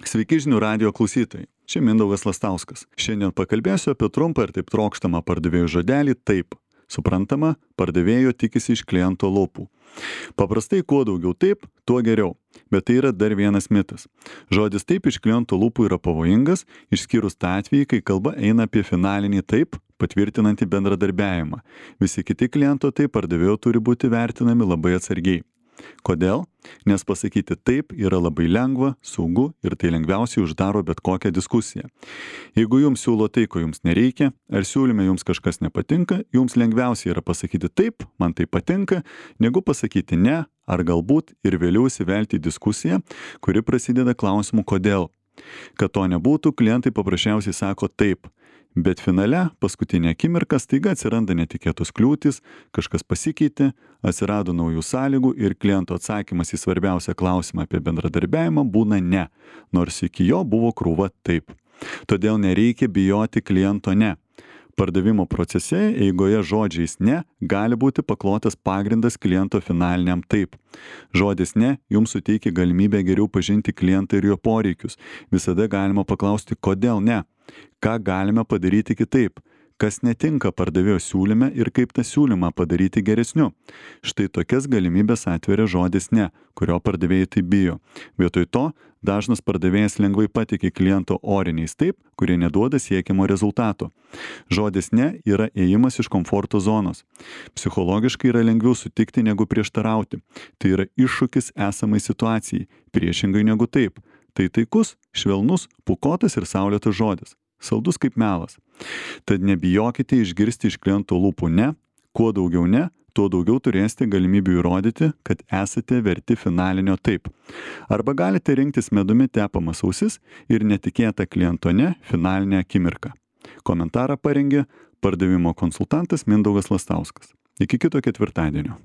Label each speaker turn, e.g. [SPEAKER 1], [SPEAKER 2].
[SPEAKER 1] Sveiki žinių radijo klausytojai. Čia Mindaugas Lastauskas. Šiandien pakalbėsiu apie trumpą ir taip trokštamą pardavėjų žodelį taip. Suprantama, pardavėjo tikisi iš kliento lūpų. Paprastai kuo daugiau taip, tuo geriau. Bet tai yra dar vienas mitas. Žodis taip iš kliento lūpų yra pavojingas, išskyrus tą atvejį, kai kalba eina apie finalinį taip, patvirtinantį bendradarbiavimą. Visi kiti kliento taip pardavėjo turi būti vertinami labai atsargiai. Kodėl? Nes pasakyti taip yra labai lengva, saugu ir tai lengviausiai uždaro bet kokią diskusiją. Jeigu jums siūlo tai, ko jums nereikia, ar siūlyme jums kažkas nepatinka, jums lengviausiai yra pasakyti taip, man tai patinka, negu pasakyti ne, ar galbūt ir vėliau įsivelti į diskusiją, kuri prasideda klausimu kodėl. Kad to nebūtų, klientai paprasčiausiai sako taip. Bet finale, paskutinė akimirka, staiga atsiranda netikėtos kliūtys, kažkas pasikeitė, atsirado naujų sąlygų ir kliento atsakymas į svarbiausią klausimą apie bendradarbiavimą būna ne, nors iki jo buvo krūva taip. Todėl nereikia bijoti kliento ne. Pardavimo procese eigoje žodžiais ne gali būti paklotas pagrindas kliento finaliniam taip. Žodis ne jums suteikia galimybę geriau pažinti klientą ir jo poreikius. Visada galima paklausti, kodėl ne. Ką galime padaryti kitaip? Kas netinka pardavėjo siūlyme ir kaip tą siūlymą padaryti geresniu. Štai tokias galimybės atveria žodis ne, kurio pardavėjai taip bijo. Vietoj to, dažnas pardavėjas lengvai patikė kliento oriniais taip, kurie neduoda siekiamo rezultato. Žodis ne yra ėjimas iš komforto zonos. Psichologiškai yra lengviau sutikti negu prieštarauti. Tai yra iššūkis esamai situacijai, priešingai negu taip. Tai taikus, švelnus, pūkuotas ir saulėtas žodis. Saldus kaip melas. Tad nebijokite išgirsti iš kliento lūpų ne, kuo daugiau ne, tuo daugiau turėsite galimybių įrodyti, kad esate verti finalinio taip. Arba galite rinktis medumi tepamas ausis ir netikėtą kliento ne finalinę akimirką. Komentarą parengė pardavimo konsultantas Mindaugas Lastauskas. Iki kito ketvirtadienio.